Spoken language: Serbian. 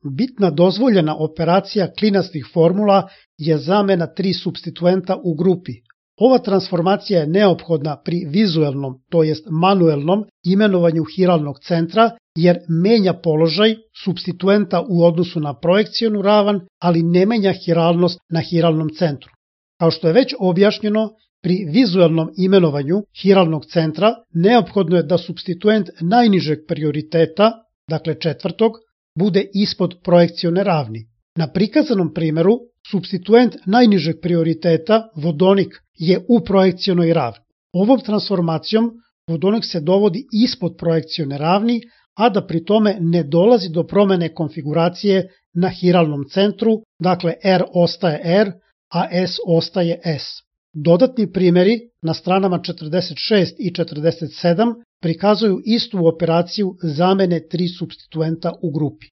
bitna dozvoljena operacija klinastih formula je zamena 3 supstituenta u grupi. Ova transformacija je neophodna pri vizuelnom, to jest manuelnom imenovanju hiralnog centra, jer menja položaj supstituenta u odnosu na projekcionu ravan, ali ne menja hiralnost na hiralnom centru. Kao što je već objašnjeno, pri vizuelnom imenovanju hiralnog centra neophodno je da supstituent najnižeg prioriteta, dakle četvrtog, bude ispod projekcione ravni. Na prikazanom primeru, supstituent najnižeg prioriteta, vodonik, je u projekcionoj ravni. Ovom transformacijom vodonik se dovodi ispod projekcione ravni, a da pri tome ne dolazi do promene konfiguracije na hiralnom centru, dakle R ostaje R, a S ostaje S. Dodatni primjeri na stranama 46 i 47 prikazuju istu operaciju zamene 3 supstituenta u grupi.